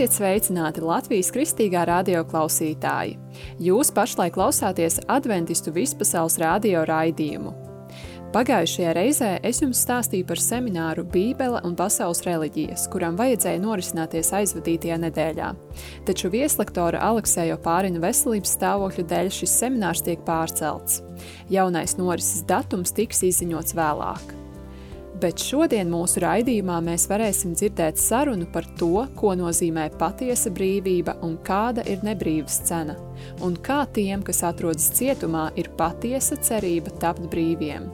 Esiet sveicināti Latvijas Kristīgā radio klausītāji. Jūs pašlaik klausāties Adventistu vispasaules radio raidījumu. Pagājušajā reizē es jums stāstīju par semināru Bībele un pasaules reliģijas, kuram vajadzēja norisināties aizvadītajā nedēļā. Taču vieslektora Aleksēja Opārina veselības stāvokļa dēļ šis seminārs tiek pārcelts. Jaunais norises datums tiks izziņots vēlāk. Bet šodien mūsu raidījumā mēs varēsim dzirdēt sarunu par to, ko nozīmē patiesa brīvība un kāda ir nebrīvas cena, un kā tiem, kas atrodas cietumā, ir patiesa cerība tapt brīviem.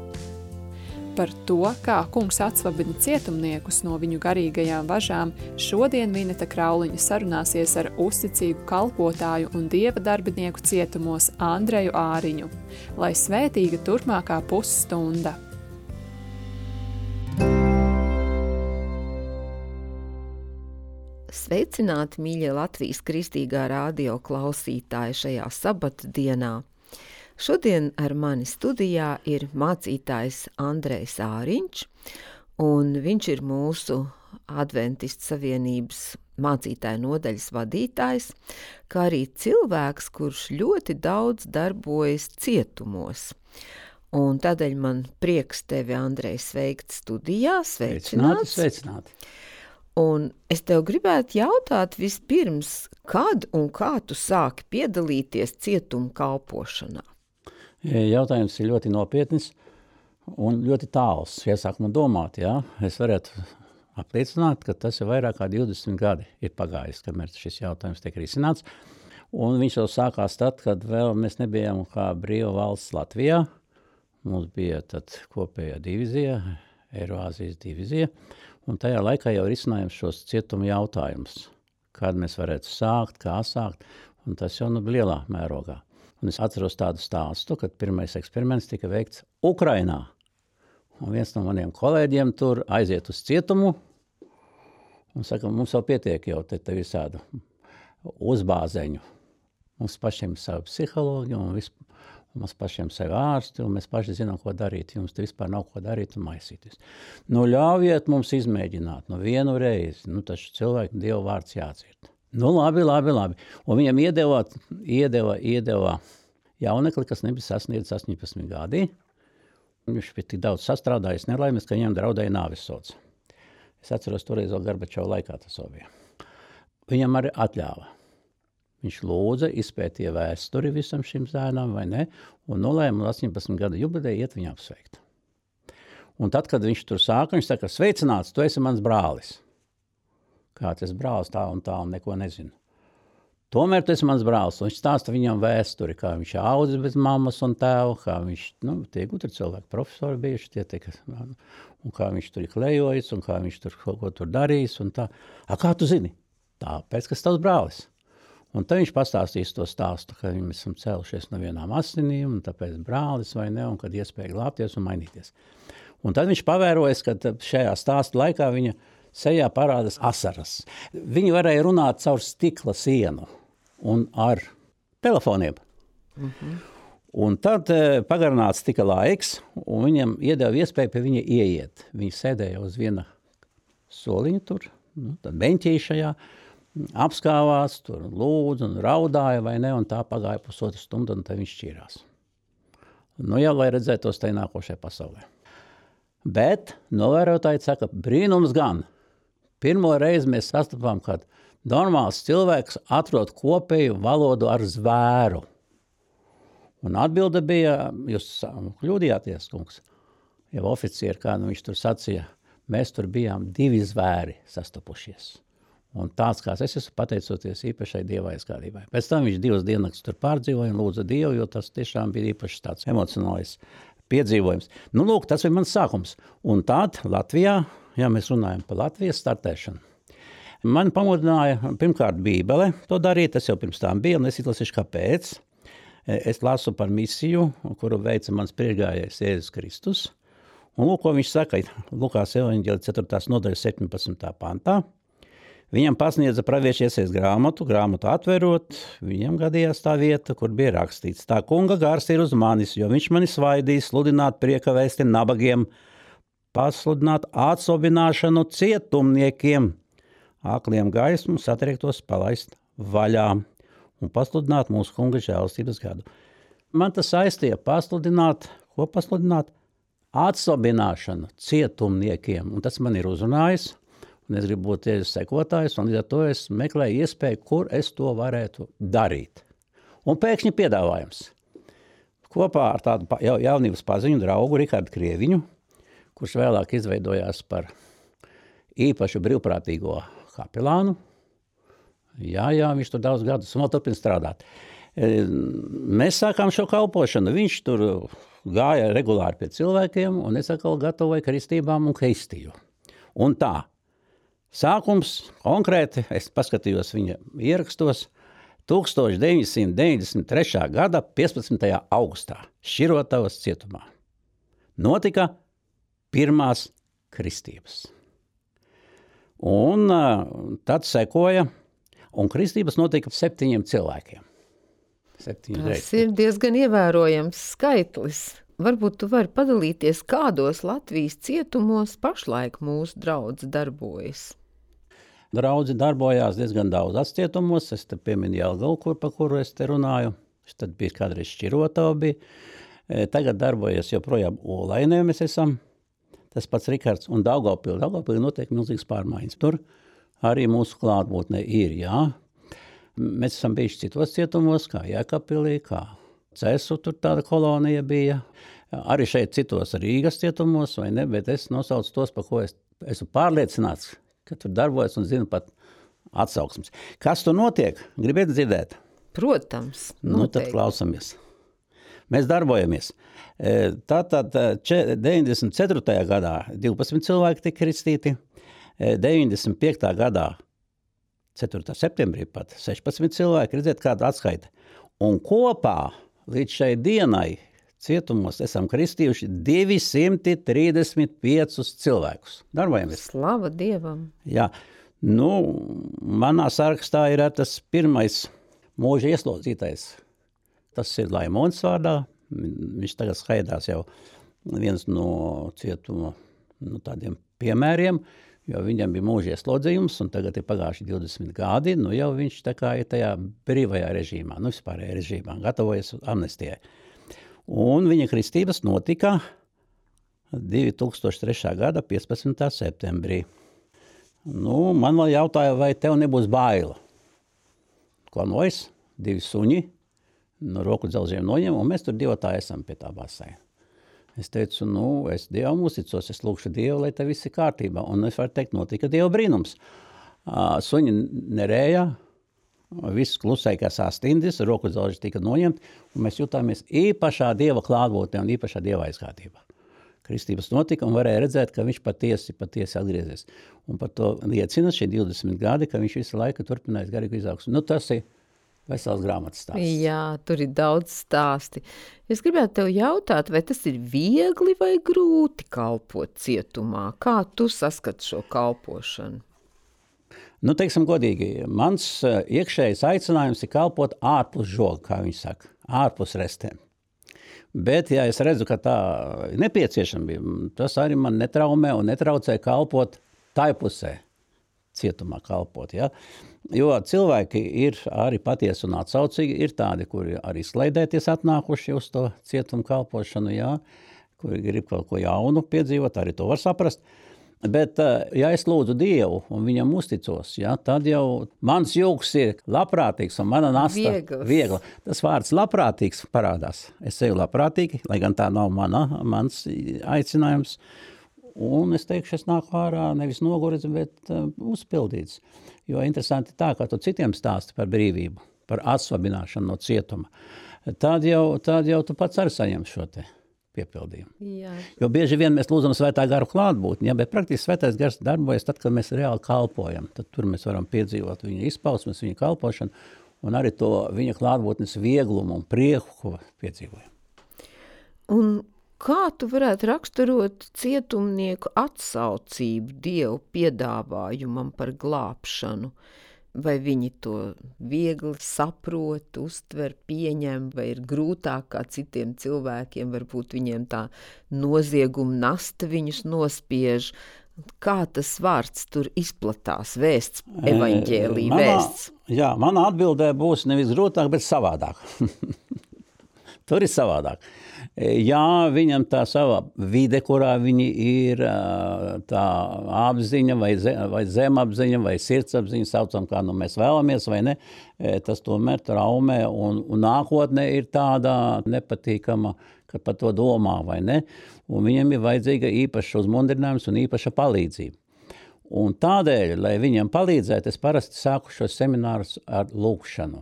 Par to, kā kungs atsvabina cietumniekus no viņu garīgajām važām, šodien Vineta Krauliņa sarunāsies ar uzticīgu kalpotāju un dieva darbinieku cietumos Andreju Āriņu. Lai svētīga turpmākā pusstunda! Sveicināti, mīļie Latvijas Kristīgā radio klausītāji šajā sabatdienā. Šodien ar mani studijā ir mācītājs Andrejs Āriņš, un viņš ir mūsu Adventistu savienības mācītāju nodaļas vadītājs, kā arī cilvēks, kurš ļoti daudz darbojas cietumos. Un tādēļ man prieks tevi, Andrej, sveikt studijā. Sveicināti. Un es tev gribētu jautāt vispirms, kad un kā tu sāki piedalīties cietuma kalpošanā? Jautājums ir ļoti nopietnis un ļoti tāls. Iesākumā domāt, es varētu apliecināt, ka tas ir vairāk kā 20 gadi ir pagājis, kamēr šis jautājums tiek risināts. Un viņš jau sākās tad, kad vēl mēs nebijām kā brīva valsts Latvijā. Mums bija tad kopējā divizija, Eiroāzijas divizija. Un tajā laikā jau risinājām šos cietuma jautājumus, kad mēs varētu sākt, kā sākt, un tas jau lielā mērogā. Un es atceros tādu stāstu, kad pirmais eksperiments tika veikts Ukrainā. Un viens no maniem kolēģiem tur aiziet uz cietumu un saka, mums jau pietiek jau te visādu uzbāzeņu. Mums pašiem savu psiholoģiju un mums pašiem sevi ārsti, un mēs paši zinām, ko darīt. Jums te vispār nav ko darīt un maisīties. Ļaujiet mums izmēģināt vienu reizi. Taču cilvēku Dieva vārds jādzird. Labi. Un viņam iedeva jaunekli, kas nebija sasniedzis 18 gadi. Viņš bija tik daudz sastrādājis nelaimes, ka viņam draudēja nāvisods. Es atceros toreiz vēl Gorbačova laikā tas bija. Viņam arī atļāva. Viņš lūdza, izpētīja vēsturi visam šim zēnam, vai ne, un nolēma 18 gadu jubileju iet viņu apsveikt. Un tad, kad viņš tur sāka, viņš saka, sveicināts, tu esi mans brālis. Kā tas brālis tā un neko nezinu. Tomēr tu esi mans brālis, un viņš stāsta viņam vēsturi, kā viņš audzis bez mammas un tēva, kā viņš, tie gudri cilvēki, profesori bijuši, un kā viņš tur ir klejojis, un kā viņš tur kaut ko tur darījis, un tā. Kā tu zini? Tāpēc, kas tavs brālis. Un tad viņš pastāstīs to stāstu, ka mēs esam cēlušies no vienām asinīm, un tāpēc brālis vai ne, un kad iespēja glābties un mainīties. Un tad viņš pavērojas, ka šajā stāsta laikā viņa sejā parādas asaras. Viņi varēja runāt caur stikla sienu un ar telefoniem. Un tad pagarināts tika laiks, un viņam iedeva iespēju pie viņa ieiet. Viņi sēdēja uz viena soliņa tur, tad beņķīšajā, apskāvās, tur lūdzu un raudāja, vai ne, un tā pagāja pusotru stundu, un tad viņš šķīrās. Jau lai redzētos tai nākošajā pasaulē. Bet novērotāji saka, brīnums gan. Pirmo reizi mēs sastapām, kad normāls cilvēks atrod kopēju valodu ar zvēru. Un atbilde bija, jūs kļūdījāties, kungs, jau oficieri, kā viņš tur sacīja, mēs tur bijām 2 zvēri sastapušies. Un tāds, kāds es esmu, pateicoties īpašai Dieva aizgādībai. Pēc tam viņš 2 diennakts tur pārdzīvoja un lūdza Dievu, jo tas tiešām bija īpaši tāds emocionālais piedzīvojums. Lūk, tas ir mans sākums. Un tād Latvijā, mēs runājam par Latvijas startēšanu, man pamudināja pirmkārt Bībele to darīt, tas jau pirms tām bija, un es izlasīšu kāpēc. Es lasu par misiju, kuru veica mans priekšgājējs Jēzus Kristus. Un lūk, ko viņš saka, Lukās evaņģēlija 4. nodaļa 17. pantā. Viņam pasniedza pravieša Iesajas grāmatu atverot, viņam gadījās tā vieta, kur bija rakstīts. Tā kunga gars ir uz manis, jo viņš mani svaidīs sludināt prieka vēsti nabagiem, pasludināt atsobināšanu cietumniekiem, akliem gaismu, satriektos palaist vaļā un pasludināt mūsu Kunga žēlastības gadu. Man tas saistīja pasludināt, ko pasludināt? Atslabināšanu cietumniekiem, un tas man ir uzrunājis, un es gribu būt Jēzus sekotājs, un līdz ar to es meklēju iespēju, kur es to varētu darīt. Un pēkšņi piedāvājums. Kopā ar tādu jaunības paziņu draugu Rihardu Krieviņu, kurš vēlāk izveidojās par īpašu brīvprātīgo kapelānu. Jā, viņš tur daudz gadus un vēl turpina strādāt. Mēs sākām šo kalpošanu, viņš tur gāja regulāri pie cilvēkiem, un es atkal gatavoju kristībām un kristīju. Un tā, sākums konkrēti, es paskatījos viņa ierakstos, 1993. gada 15. augustā Širotavas cietumā notika pirmās kristības. Un tad sekoja, un kristības notika 7 cilvēkiem. 7 Tas reizes. ir diezgan ievērojams skaitlis. Varbūt tu vari padalīties, kādos Latvijas cietumos pašlaik mūsu draudz darbojas. Draudzi darbojās diezgan daudz atcietumos. Es te pieminu Jelgavu, par kuru es te runāju. Tad bija kādreiz Šķirotava bija. Tagad darbojas joprojām Olainē mēs esam. Tas pats Rikards un Daugavpili. Daugavpili notiek milzīgas pārmaiņas. Tur arī mūsu klātbūtne ir, jā. Mēs esam bijuši citos cietumos, kā Jēkabpilī, kā Cesu, tur tāda kolonija bija. Arī šeit citos Rīgas cietumos, vai ne, bet es nosaucu tos, par ko es esmu pārliecināts, ka tur darbojas un zinu pat atsauksmes. Kas tur notiek? Gribiet dzirdēt? Protams, Nu, tad klausamies. Mēs darbojamies. Tātad 94. gadā 12 cilvēki tika kristīti, 95. gadā 4. septembrī pat 16 cilvēki, redziet, kāda atskaita. Un kopā līdz šai dienai cietumos esam kristījuši 235 cilvēkus. Darbojamies. Slava Dievam! Jā, manā sarakstā ir tas pirmais mūža ieslodzītais. Tas ir Laimons vārdā. Viņš tagad skaidās jau viens no cietuma tādiem piemēriem, jo viņam bija mūža ieslodzījums, un tagad ir pagājuši 20 gadi, jau viņš tā kā ir tajā brīvajā režīmā, vispārējā režīmā, gatavojas amnestijai. Un viņa kristības notika 2003. gada 15. septembrī. Man vēl jautāja, vai tev nebūs baila. Ko nojas? 2 suņi, roku dzelžiem noņem, un mēs tur divotāji esam pie tā baseina. Es teicu, es Dievam uzticos, es lūkšu Dievu, lai te viss ir kārtībā. Un es varu teikt, notika Dieva brīnums. Suņi nerēja, viss klusēja kā sastindis, roku dzelži tika noņemt, un mēs jutāmies īpašā Dieva klātbūtnē un īpašā Dieva aizgādībā. Kristības notika un varēja redzēt, ka viņš patiesi atgriezies. Un par to liecina šie 20 gadi, ka viņš visu laiku turpinājis garīgu izaugsmu. Tas ir vesels grāmatas stāsts. Jā, tur ir daudz stāsti. Es gribētu tev jautāt, vai tas ir viegli vai grūti kalpot cietumā? Kā tu saskati šo kalpošanu? Teiksim godīgi, mans iekšējais aicinājums ir kalpot ārpus žoga, kā viņi saka, ārpus restēm. Bet, ja es redzu, ka tā ir nepieciešama, tas arī man netraumē un netraucē kalpot tai pusē, cietumā kalpot, ja? Jo cilvēki ir arī patiesi un atsaucīgi, ir tādi, kuri arī slaidēties atnākuši uz to cietumu kalpošanu, ja? Kuri grib kaut ko jaunu piedzīvot, arī to var saprast. Bet, ja es lūdzu Dievu un viņam uzticos, ja, tad jau mans jūgs ir labprātīgs un mana nasta viegla. Tas vārds labprātīgs parādās. Es eju labprātīgi, lai gan tā nav mans aicinājums. Un es teikšu, es nāku ārā nevis noguris, bet uzpildīts. Jo interesanti tā, kā tu citiem stāsti par brīvību, par atsvabināšanu no cietuma, tad jau tu pats arī saņem šo te piepildījumu. Jā. Jo bieži vien mēs lūdzam svētā gara klātbūtni, ja, bet praktiski svētais gars darbojas tad, kad mēs reāli kalpojam. Tad tur mēs varam piedzīvot viņa izpausmes, viņa kalpošanu un arī to viņa klātbūtnes vieglumu un prieku, ko piedzīvojam. Un kā tu varētu raksturot cietumnieku atsaucību Dievu piedāvājumam par glābšanu? Vai viņi to viegli saprot, uztver, pieņem, vai ir grūtāk kā citiem cilvēkiem, varbūt viņiem tā nozieguma nasta viņus nospiež, Kā tas vārds tur izplatās, vēsts, evaņģēlija vēsts? Jā, mana atbildē būs nevis grūtāk, bet savādāk. Tur ir savādāk. Jā, viņam tā sava vide, kurā viņi ir, tā apziņa vai zemapziņa vai sirdsapziņa, saucam, kā mēs vēlamies vai ne, tas tomēr traumē un nākotnē ir tāda nepatīkama, ka par to domā vai ne, un viņam ir vajadzīga īpaša uzmundrinājums un īpaša palīdzība. Un tādēļ, lai viņam palīdzētu, es parasti sāku šos seminārus ar lūkšanu.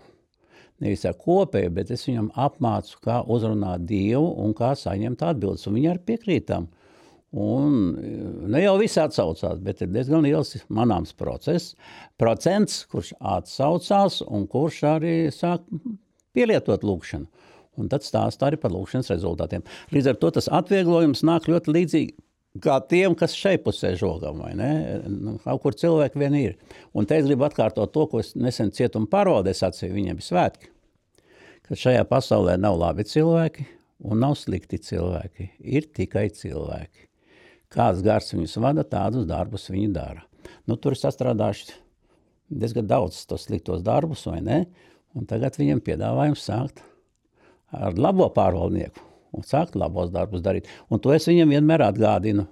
Nevis ar kopēju, bet es viņam apmācu, kā uzrunāt Dievu un kā saņemt atbildes. Un viņi arī piekrītam. Un ne jau visi atsaucās, bet ir diezgan liels manāms procents, kurš atsaucās un kurš arī sāk pielietot lūkšanu. Un tad stāst arī par lūkšanas rezultātiem. Līdz ar to tas atvieglojums nāk ļoti līdzīgi kā tiem, kas šeit pusē žogam, vai ne? Kaut kur cilvēki vien ir. Un te es gribu atkārtot to, ko es nesen cietuma pārvaldē sacīju, viņiem ir svētki. Ka šajā pasaulē nav labi cilvēki un nav slikti cilvēki. Ir tikai cilvēki. Kāds gars viņus vada, tādus darbus viņi dara. Tur ir sastrādājuši diezgan daudz tos sliktos darbus, vai ne? Un tagad viņiem piedāvājums sākt ar labo pārvaldnieku. Un sākt labos darbus darīt. Un to es viņam vienmēr atgādinu.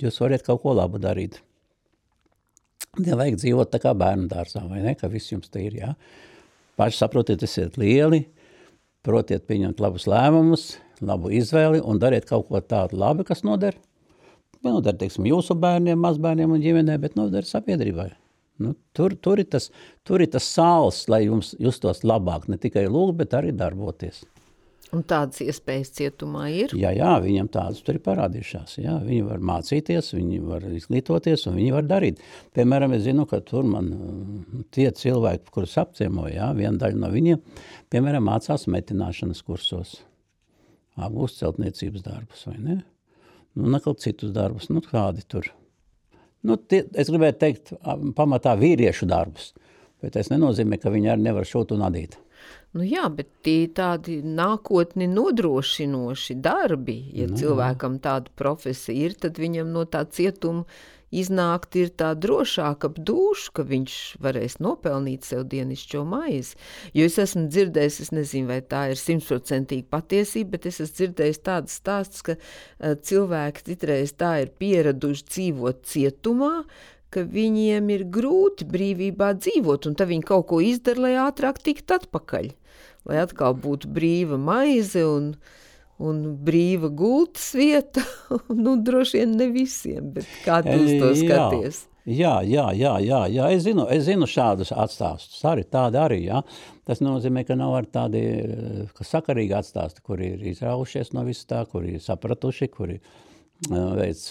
Jūs varat kaut ko labu darīt. Nevajag dzīvot tā kā bērnu dārzā, vai ne? Ka viss jums te ir, jā. Paši saprotiet, esiet lieli, protiet pieņemt labus lēmumus, labu izvēli un dariet kaut ko tādu labi, kas noder. Noder, teiksim, jūsu bērniem, mazbērniem un ģimenē, bet noder sabiedrībai. Tur ir tas sāls, lai jums justos labāk, ne tikai lūgt, bet arī darboties. Un tādas iespējas cietumā ir? Jā, viņam tādas tur ir parādījušās. Jā, viņi var mācīties, viņi var izglītoties un viņi var darīt. Piemēram, es zinu, ka tur man tie cilvēki, kurus apciemoja, jā, viena daļa no viņiem, piemēram, mācās metināšanas kursos, apgūst celtniecības darbus, vai ne? Nekal citus darbus, kādi tur. Es gribētu teikt, pamatā vīriešu darbus, bet tas nenozīmē, ka viņi arī nevar šūt un adīt. Jā, bet tie tādi nākotni nodrošinoši darbi, ja cilvēkam tāda profesija ir, tad viņam no tā cietuma iznākt ir tā drošāk ap dušu, ka viņš varēs nopelnīt sev dienišķo maizi. Jo es esmu dzirdējis, es nezinu, vai tā ir 100% patiesība, bet es esmu dzirdējis tādas stāstus, ka cilvēki citreiz tā ir pieraduši dzīvot cietumā, ka viņiem ir grūti brīvībā dzīvot, un tad viņi kaut ko izdara, lai ātrāk tiktu atpakaļ. Lai atkal būtu brīva maize un brīva gultas vieta, droši vien ne visiem, bet kā tu uz to skaties? Jā, es zinu šādus atstāstus, tādi arī, jā. Tas nozīmē, ka nav arī tādi sakarīgi atstāsti, kuri ir izraušies no visu tā, kuri ir sapratuši, kuri veic,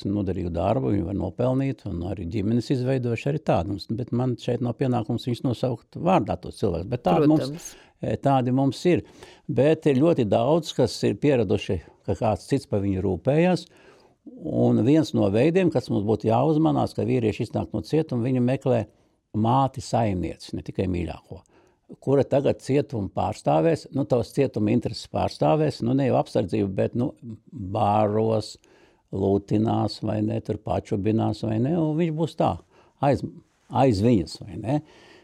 noderīgu darbu, viņi var nopelnīt, un arī ģimenes izveidojuši arī tādus, bet man šeit nav pienākums viņus nosaukt vārdā tos cilvēkus, bet tādi mums ir. Bet ir ļoti daudz, kas ir pieraduši, ka kāds cits par viņu rūpējas, un viens no veidiem, kas mums būtu jāuzmanās, ka vīrieši iznāk no cietuma, viņi meklē māti saimnieci, ne tikai mīļāko, kura tagad cietuma pārstāvēs, tavs cietuma intereses pārstāvēs, ne jau apsardzību, bet, bāros, lūtinās, vai ne, tur pačubinās, vai ne, un viņš būs tā, aiz viņas, vai ne.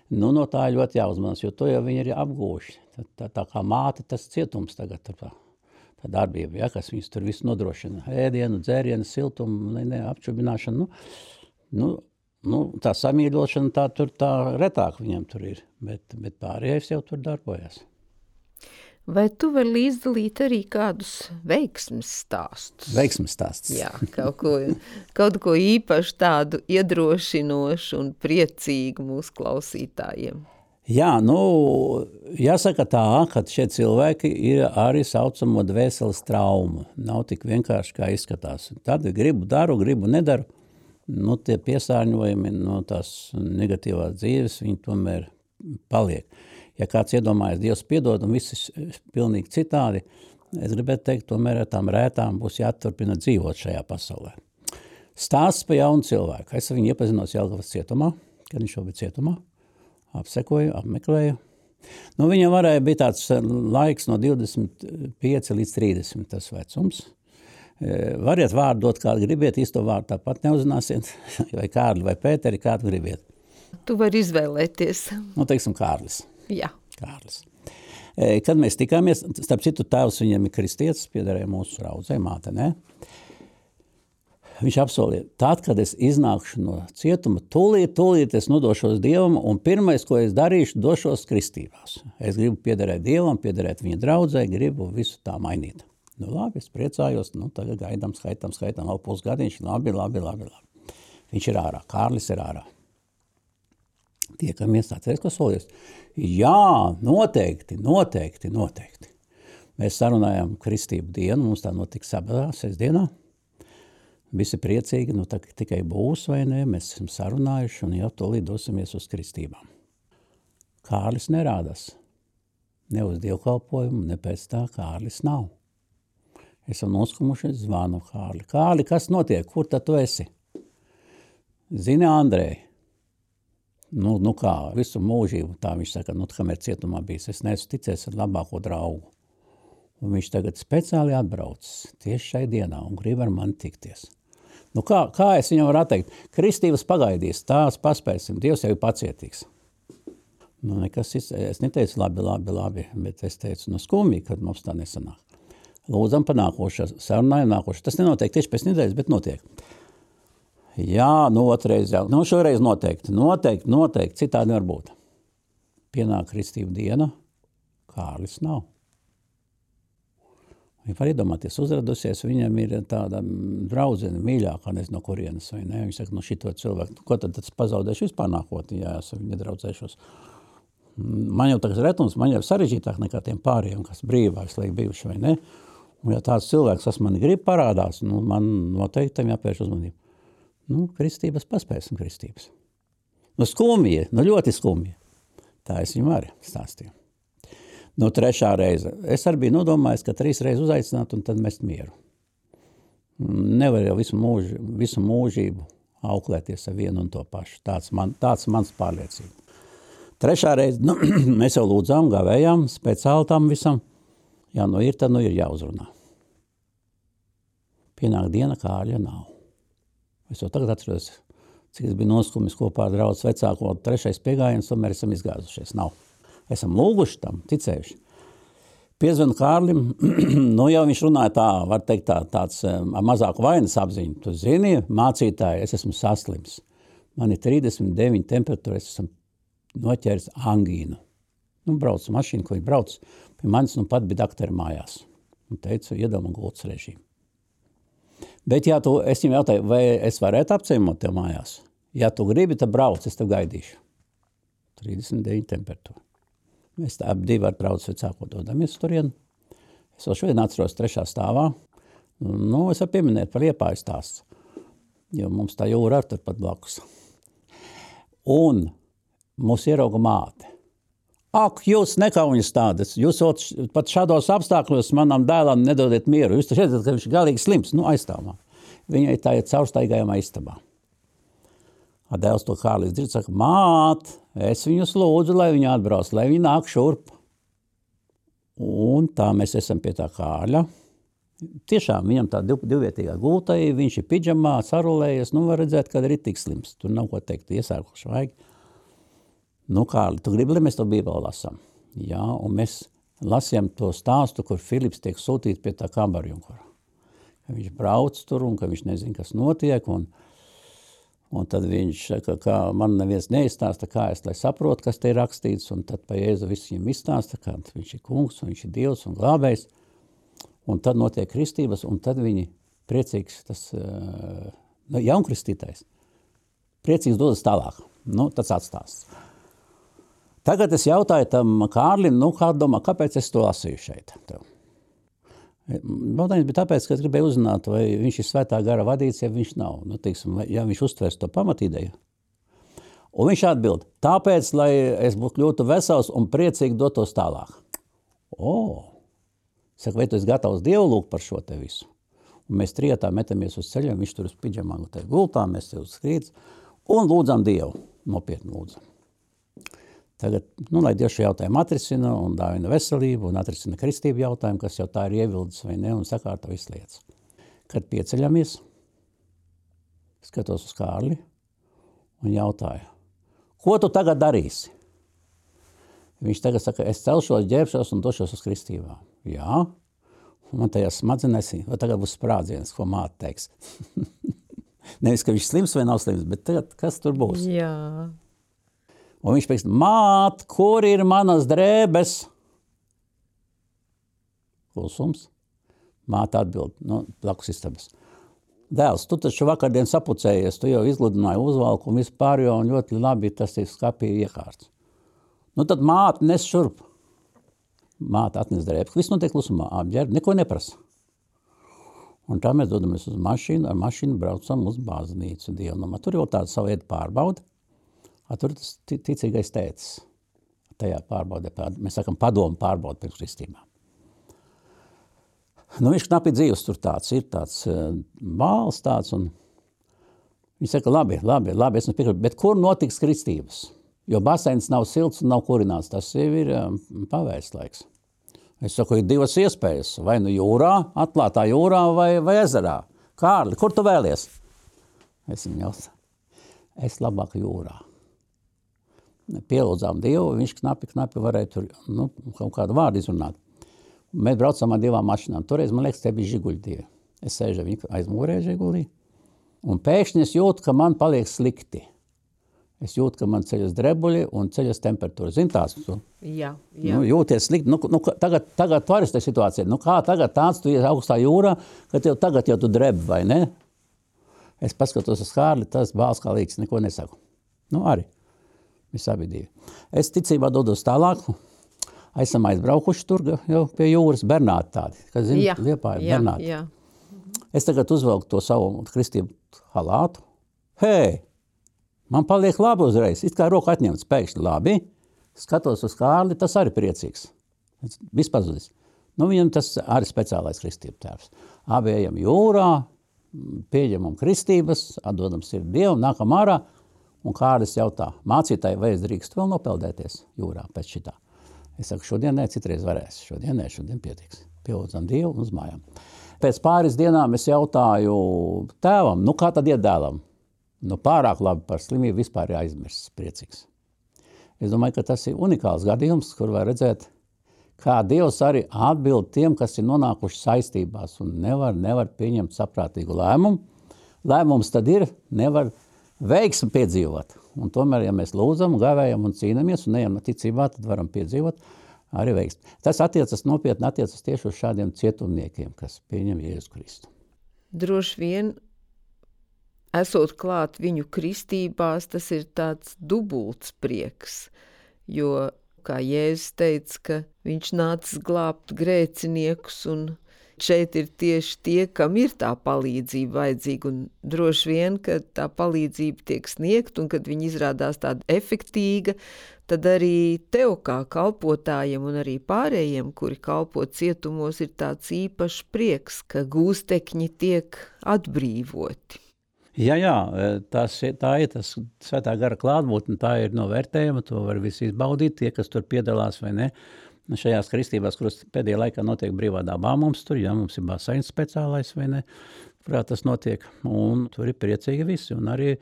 No tā ir ļoti jāuzmanās, jo to jau viņi ir apgūši. Tā kā māte, tas cietums tagad, tā darbība, ja, kas viņus tur visu nodrošina, ēdienu, dzērienu, siltumu, apčubināšanu, tā samīļošana tā retāk viņam tur ir, bet pārējais jau tur darbojas. Vai tu vari līdzdalīt arī kādus veiksmes stāstus? Veiksmes stāstus. Jā, kaut ko īpaši tādu iedrošinošu un priecīgu mūsu klausītājiem. Jā, jāsaka tā, ka šie cilvēki ir arī saucamo dvēseles traumu. Nav tik vienkārši, kā izskatās. Tad gribu daru, gribu nedaru. Tie piesārņojumi no tās negatīvās dzīves, viņi tomēr paliek. Ja kāds iedomājas, Dievs piedod un viss pilnīgi citādi, es gribētu teikt, tomēr ar tām rētām būs jāturpina dzīvot šajā pasaulē. Stāsts par jaunu cilvēku. Es viņu iepazinos Jelgavas cietumā, kad viņš jau bija cietumā, apsekoju, apmeklēju. Viņam bija tāds laiks no 25 līdz 30 tas vecums. Variet vārdu dot, kādu gribiet, īsto vārdu tāpat neuzzināsiet, vai Kārli, vai Pēteri, kādu gribiet. Tu vari izvēlēties. Nu, teiksim, Kārlis. Jā. Kārlis. Kad mēs tikāmies, starp citu tēvs viņam ir kristietis, piederēja mūsu raudzei, māte, ne? Viņš apsolīja, tad, kad es iznākšu no cietuma, tūlīt es nodošos Dievam, un pirmais, ko es darīšu, došos kristībās. Es gribu piederēt Dievam, piederēt viņa draudzei, gribu visu tā mainīt. Nu labi, es priecājos, nu tagad gaidām, skaitām, vēl pusgadiņš, labi. Viņš ir ārā, Kārlis ir ārā. Tiekamies, atceries, ko solies? Jā, noteikti. Mēs sarunājām kristību dienu, mums tā notika sabadā, sestdienā. Visi priecīgi, nu tā tikai būs vai ne, mēs esam sarunājuši un jau tūlīt dosimies uz kristībām. Kārlis nerādās. Ne uz dievkalpojumu, ne pēc tā Kārlis nav. Esam noskumuši, zvanu Kārli. Kārli, kas notiek? Kur tad tu esi? Zini, Andrej? Nu kā, visu mūžību, tā viņš saka, kamēr cietumā bijis, es neesmu ticējis ar labāko draugu. Un viņš tagad speciāli atbraucis tieši šai dienā un grib ar mani tikties. Nu kā es viņam varu atteikt? Kristības pagaidīs, tās paspēsim, Dievs jau ir pacietīgs. Nu nekas, es neteicu labi, bet es teicu, skumji, kad mums tā nesanāk. Lūdzam pa nākošā, sarunājam nākošā. Tas nenotiek tieši pēc nedēļas, bet notiek. Jā, otrais jau. Šoreiz noteikti, citādi nevar būt. Pienāk kristību diena, Kārlis nav. Viņa var iedomāties, uzradusies, viņam ir tāda draudzene, mīļākā, nezinu no kurienes, vai ne? Viņš saka, šito cilvēku, ko tad pazaudēšu vispār nākotnē, ja es viņu nedraudzēšos. Man jau tagad retums, man jau sarežģītāk nekā tiem pāriem, kas brīvāks, lai bijuši, vai ne? Un ja tāds cilvēks, kas man grib parādās, man noteikti tam jāpērš uzmanību. Kristības paspēsim kristības. Skumji, ļoti skumji. Tā es viņam arī stāstīju. Trešā reize. Es arī biju nodomājis, ka 3 reizes uzaicināt un tad mest mieru. Nevar jau visu mūžību auklēties ar vienu un to pašu. Tāds mans pārliecība. Trešā reize, mēs jau lūdzām, gavējām, speciāli tam visam. Ja tad ir jāuzrunā. Pienāk diena, Kārļa nav. Es jau tagad atceros, cik es biju noskumis kopā ar draudz vecāko 3. piegājiens, tomēr esam izgāzušies. Nav. Esam lūguši tam, ticējuši. Piezvanu Kārlim, jau viņš runāja tā, var teikt tāds mazāku vainas apziņu. Tu zini, mācītāji, es esmu saslims. Man ir 39 temperatūra, es esmu noķēris angīnu. Braucu mašīnu, ko viņš brauc. Pie manis pat bija dakteri mājās. Un teicu, iedod gultas režīmu. Bet es viņam jautāju, vai es varētu apciemot tev mājās? Ja tu gribi, tad brauc, es tev gaidīšu. 39 temperatūra. Mēs ap 2 ar draudz vecāko dodamies turien. Es vēl šodien atceros 3. stāvā. Es varu pieminēt par Liepāju stāsts, jo mums tā jūra ar turpat blakus. Un mūs ierauga māte. Ak, jūs nekauņas tādas, jūs pat šādos apstākļos manam dēlam nedodiet mieru. Jūs taču redzat, ka viņš ir galīgi slims, aizstāvā. Viņai tā ir caurstaigājumā istabā. Dēls to Kārlis dzird, saka, māt, es viņus lūdzu, lai viņi atbrauc, lai viņi nāk šurp. Un tā mēs esam pie tā Kārļa. Tiešām viņam tā divvietīgā gultai, viņš ir pidžamā, sarulējies, var redzēt, ka ir tik slims. Tur nav ko teikt, iesārkuši vajag. Kārli, tu gribi, lai mēs to Bībeli lasām? Jā, un mēs lasījām to stāstu, kur Filips tiek sūtīts pie tā kambarjunkura. Viņš brauc tur un ka viņš nezina, kas notiek, un tad viņš saka, ka man neviens neizstāsta, kā es, lai saprotu, kas te ir rakstīts, un tad pa Jēzu viss viņam izstāsta, ka viņš ir kungs, un viņš ir Dievs un glābējs, un tad notiek kristības, un tad viņi priecīgs, tas jaunkristītais, priecīgs dodas tālāk. Tas atstāsts. Tagad es jautāju tam Kārlim, kā domā, kāpēc es to lasīju šeit? Jautājums bija tāpēc, ka es gribēju uzzināt, vai viņš ir svētā gara vadīts, ja viņš nav. Ja viņš uztvers to pamatīdeju. Un viņš atbild, tāpēc, lai es kļūtu vesels un priecīgi dotos tālāk. Saka, vai tu esi gatavs Dievu lūgt par šo te visu? Un mēs trijotā metamies uz ceļiem, viņš tur uz pidžamā gultā, mēs te uz skrīdz un lūdzam Dievu, nopietni lūdzam. Tagad, lai Dievs šo jautājumu atrisina un dāvina veselību un atrisina kristību jautājumu, kas jau tā ir ievildes vai ne un sakārto visas lietas. kad pieceļamies, skatos uz Kārli un jautāju, ko tu tagad darīsi? Viņš tagad saka, es celšos, ģērbšos un došos uz kristībā. Jā, un man tajā smadzenēs, vai tagad būs sprādziens, ko māte teiks. Nevis, ka viņš slims vai nav slims, bet tagad, kas tur būs? Jā. Un viņš pēc, māt, kur ir manas drēbes? Klusums. Māte atbild, blakus istabas. Dēls, tu taču vakardien sapucējies, tu jau izgludināji uzvalku un vispār jau un ļoti labi tas ir skapī iekārts. Tad māte nes šurp. Māte atnes drēbes, viss notiek klusumā, apģērb, neko neprasa. Un tā mēs dodamies uz mašīnu, ar mašīnu braucam uz baznīcu dievnamā. Tur jau tāda savu veidu pārbauda. Tur tas ticīgais tētis. Tajā pārbaudē, mēs sakam, padomu pārbauda pirms kristībā. Viņš knapi dzīves tur tāds, ir tāds bāls tāds, un viņš saka, labi, es nepiekrītu, bet kur notiks kristības? Jo baseins nav silts un nav kurināts, tas jau ir pavērsts laiks. Es saku, ir divas iespējas, vai nu jūrā, atklātā jūrā vai ezerā. Kārli, kur tu vēlies? Es viņam jautāju, es labāk jūrā. Pielūdzām Dievu, viņš knapi varēja tur kaut kādu vārdu izrunāt. Mēs braucam ar divām mašīnām. Toreiz, man liekas, te bija žiguļi divi. Es sēžu viņu aiz mugurē žigulī, un pēkšņi es jūtu, ka man paliek slikti. Es jūtu, ka man ceļas drebuļi un ceļas temperatūra. Zini tās? Jā. Jūties slikti. Tagad tu arī tā situācija. Kā tagad tāds, tu ies augstā jūrā, ka tagad jau tu drebi, vai ne? Es paskatos uz Kārli, tas bāls kā līdz, neko nesaku. Arī. Mēs abi divi. Es ticībā dodos tālāk. Esam aizbraukuši tur jau pie jūras, Bernāti tādi. Kas zini, Liepāja, Bernāti. Jā. Es tagad uzvelku to savu kristību halātu. Hei! Man paliek labi uzreiz, it kā roku atņemts pēkšņi labi. Skatos uz Kārli, tas arī priecīgs. Viss pazudis. Viņam tas arī speciālais kristību tēvs. Abi ejam jūrā, pieņemam kristības, atdodam sirdi Dievu, nākam ārā, un Kārlis jautā, mācītāji, vai es drīkstu vēl nopeldēties jūrā pēc šitā? Es saku, šodien ne, citreiz varēs. Šodien pietiks. Pielūdzam Dievu un uz mājām. Pēc pāris dienām es jautāju tēvam, kā tad iet dēlam? Pārāk labi par slimību vispār ir aizmirsts, priecīgs. Es domāju, ka tas ir unikāls gadījums, kur var redzēt, kā Dievs arī atbild tiem, kas ir nonākuši saistībās un nevar pieņemt saprātīgu lēmumu. Lēmums tad ir, nevar veiksmi piedzīvot. Un tomēr, ja mēs lūdzam, gavējam un cīnamies un ejam ticībā, tad varam piedzīvot arī veiksmi. Tas nopietni attiecas tieši uz šādiem cietumniekiem, kas pieņem Jēzu Kristu. Droši vien, esot klāt viņu kristībās, tas ir tāds dubults prieks, jo, kā Jēzus teica, ka viņš nācis glābt grēciniekus, un šeit ir tieši tie, kam ir tā palīdzība vajadzīga, un droši vien, kad tā palīdzība tiek sniegt, un kad viņa izrādās tāda efektīga, tad arī tev kā kalpotājiem un arī pārējiem, kuri kalpo cietumos, ir tāds īpašs prieks, ka gūstekņi tiek atbrīvoti. Jā, tā ir tas svētā gara klātbūtne, tā ir novērtējama, to var visi izbaudīt, tie, kas tur piedalās vai ne. Šajās kristībās, kuras pēdējā laikā notiek brīvā dabā mums tur, mums ir baseins speciālais vai ne, kurā tas notiek, un tur ir priecīgi visi, un arī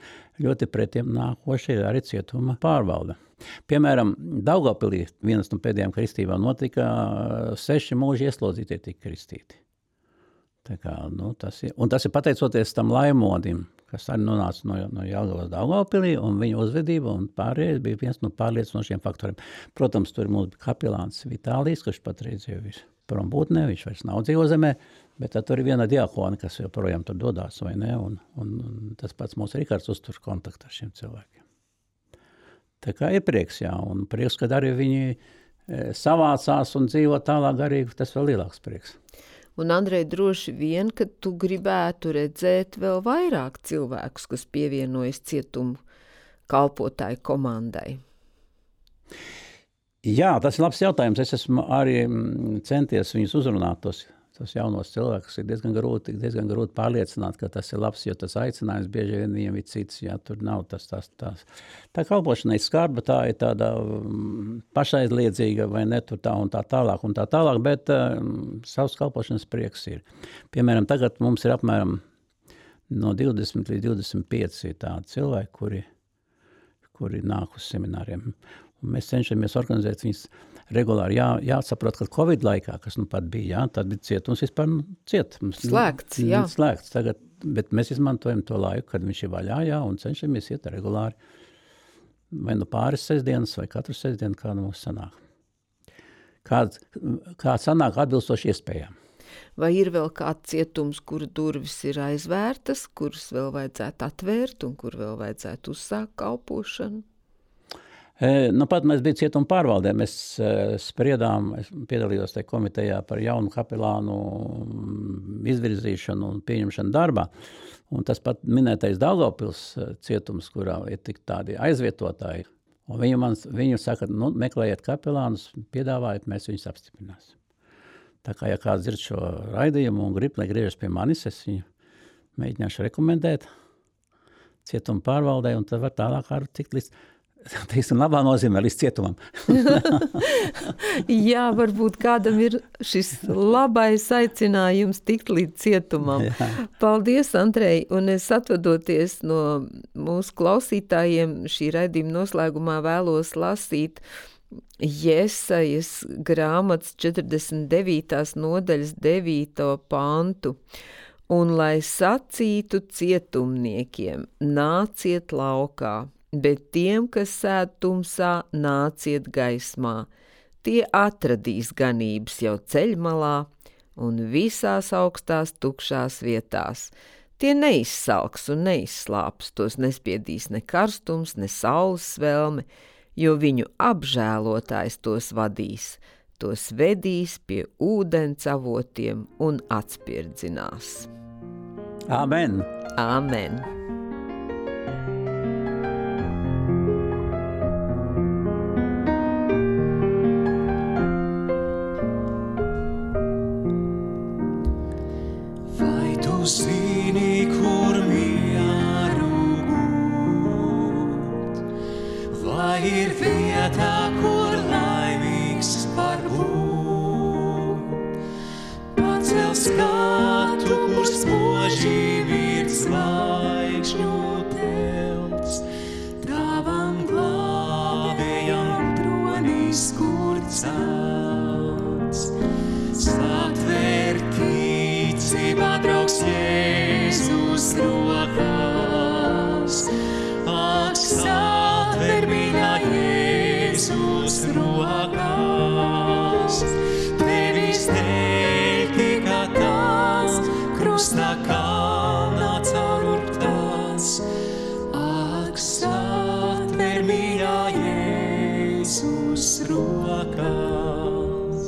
ļoti pretiem nākoši ir arī cietuma pārvalde. Piemēram, Daugavpilī vienas no pēdējām kristībām notika 6 mūži ieslodzītie tika kristīti. Tas ir pateicoties tam laimodim, kas arī nonāca no Jelgavas Daugavpilī, un viņa uzvedība un pārējais bija viens no pārliecinošiem faktoriem. Protams, tur mums bija kapelāns Vitālijs, kurš patreiz jau ir prombūtnē, viņš vairs nav dzīvo zemē, bet tur ir viena diakona, kas joprojām tur dodās, vai ne, un tas pats mūsu Rikards uztur kontaktu ar šiem cilvēkiem. Tā kā ir prieks, un prieks, kad arī viņi savācās un dzīvo tālāk garīgi, tas vēl lielāks prieks. Un, Andrej, droši vien, ka tu gribētu redzēt vēl vairāk cilvēkus, kas pievienojas cietumu kalpotāju komandai. Jā, tas ir labs jautājums. Es esmu arī centies viņus uzrunāt, tos tos jaunos cilvēkus ir diezgan grūti pārliecināt, ka tas ir labs, jo tas aicinājums bieži vien viņiem ir cits, jā, tur nav tas. Tā kalpošana ir skarba, tā ir tāda pašaizliedzīga, vai ne, tur tā un tā tālāk, bet savs kalpošanas prieks ir. Piemēram, tagad mums ir apmēram no 20 līdz 25 ir tādi cilvēki, kuri nāk uz semināriem. Un mēs cenšamies organizēt viņus regulāri. Jāsaprot, ka Covid laikā, kas pat bija, tad bija cietums vispār Slēgts, jā. Slēgts tagad, bet mēs izmantojam to laiku, kad viņš ir vaļā, un cenšamies iet regulāri. Vai pāris sestdienas, vai katru sestdienu, kāda mums sanāk. Kā sanāk atbilstoši iespējām. Vai ir vēl kāds cietums, kura durvis ir aizvērtas, kuras vēl vajadzētu atvērt un kur vēl vajadzētu uzsākt kalpošanu? Pat mēs bija cietuma pārvaldē, mēs spriedām, es piedalījos tajā komitejā par jaunu kapelānu izvirzīšanu un pieņemšanu darbā. Un tas pat minētais Daugavpils cietums, kurā ir tik tādi aizvietotāji. Un viņu saka, meklējiet kapelānus, piedāvājiet, mēs viņus apstiprināsim. Tā kā, ja kāds dzird šo raidījumu un grib, lai griežas pie manis, es viņu mēģināšu rekomendēt cietuma pārvaldē, un tad var tālāk arī tikt līdz, teiksim, labā nozīmē līdz cietumam. Jā, varbūt kādam ir šis labais aicinājums tikt līdz cietumam. Jā. Paldies, Andrej, un es atvadoties no mūsu klausītājiem šī raidījuma noslēgumā vēlos lasīt Jesajas grāmatas 49. nodaļas 9. pantu. Un lai sacītu cietumniekiem, nāciet laukā, bet tiem, kas sēd tumsā, nāciet gaismā. Tie atradīs ganības jau ceļmalā un visās augstās tukšās vietās. Tie neizsalks un neizslāps, tos nespiedīs ne karstums, ne saules svelme, jo viņu apžēlotājs tos vadīs, tos vedīs pie ūdens avotiem un atspirdzinās. Amen! Amen! Vai tu zini, kur mieru gūt? Vai ir vietā, kur laimīgs var būt? Pacel skatu, kur spoži virt zvaigžņu telts, tavam glābējam tronīs, kur celts. Satver ticībā draugs Jēzus rokās, ak, satver mīļā Jēzus rokās. Tevis dēļ tika tās, krustā kalnā caururptās, ak, satver mīļā Jēzus rokās.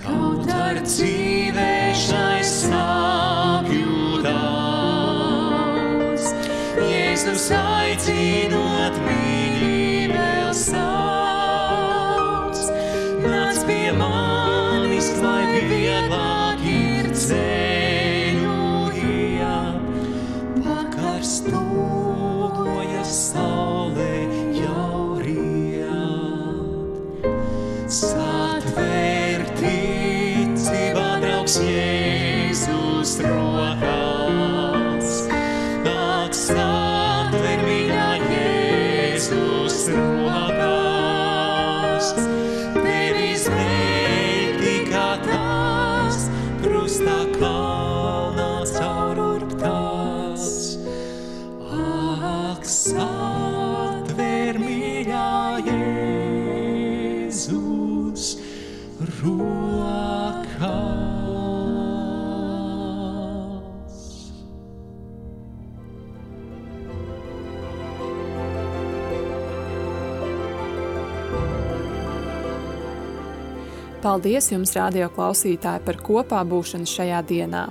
Kaut ar dzīvē šai sāpju daudz, Jēzus aicinot mīļi vēl sauc. Nāc pie manis, lai vieglāk ir ceļu iet, pakarstojas saule jau riet. Satver ticībā draugs Jēzus rokās, ak, satver mīļā Jēzus rokās. Tevis dēļ tika tās, krustā kalnā caururptās, ak, satver mīļā Jēzus rokās. Paldies jums, radio klausītāji, par kopā būšanu šajā dienā.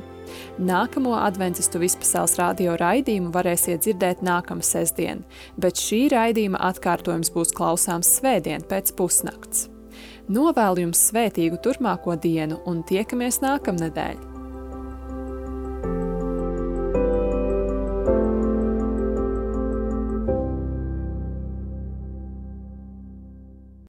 Nākamo adventistu vispasaules radio raidījumu varēsiet dzirdēt nākamā sestdien, bet šī raidījuma atkārtojums būs klausāms svētdien pēc pusnakts. Novēlu jums svētīgu turpmāko dienu un tiekamies nākamnedēļ!